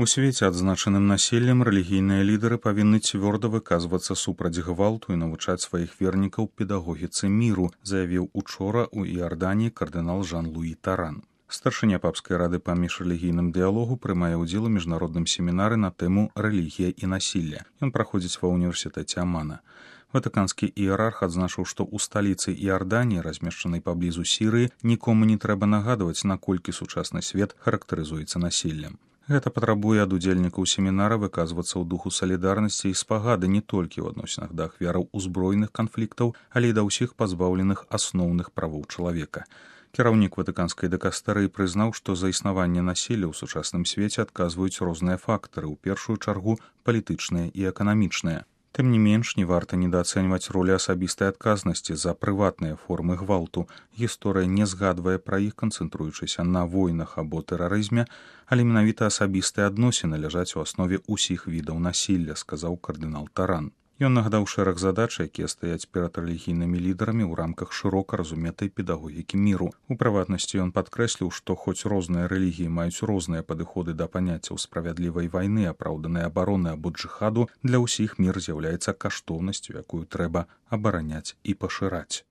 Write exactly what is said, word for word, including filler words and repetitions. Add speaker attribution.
Speaker 1: У свеце адзначаным насельем рэлігійныя лідары павінны цвёрда выказвацца супраць гвалту і навучаць сваіх вернікаў педагогіцы міру, заявіў учора ў Іарданіі кардынал Жан-Луі Таран. Старшыня папскай рады па міжрэлігійным дыялогу прымае ўдзел у міжнародным семінары на тэму «Рэлігія і насілле». Ён праходзіць ва ўніверсітэце Амана. Ватыканскі іерарх адзначыў, што ў сталіцы Іарданіі, размешчанай паблізу Сірыі, нікому не трэба нагадваць, наколькі сучасны свет характарызуецца насіллем. Гэта патрабуе ад удзельнікаў семінара выказвацца ў духу салідарнасці і спагады не толькі ў адносінах да ахвяраў узброеных канфліктаў, але і да ўсіх пазбаўленых асноўных правоў чалавека. Кіраўнік ватыканскай дыкастэрыі прызнаў, што за існаванне насілля ў сучасным свеце адказваюць розныя фактары, у першую чаргу палітычныя і эканамічныя. Тым не менш, не варта недаацэньваць ролі асабістай адказнасці за прыватныя формы гвалту. Гісторыя не згадвае пра іх, канцэнтруючыся на войнах або тэрарызме, але менавіта асабістыя адносіны ляжаць у аснове ўсіх відаў насілля, сказаў кардынал Таран. Ён нагадаў шэраг задач, якія стаяць перад рэлігійнымі лідарамі ў рамках шырока разуметай педагогікі міру. У прыватнасці ён падкрэсліў, што хоць розныя рэлігіі маюць розныя падыходы да паняццяў справядлівай вайны, апраўданай абароны або джыхаду, для ўсіх мір з'яўляецца каштоўнасцю, якую трэба абараняць і пашыраць.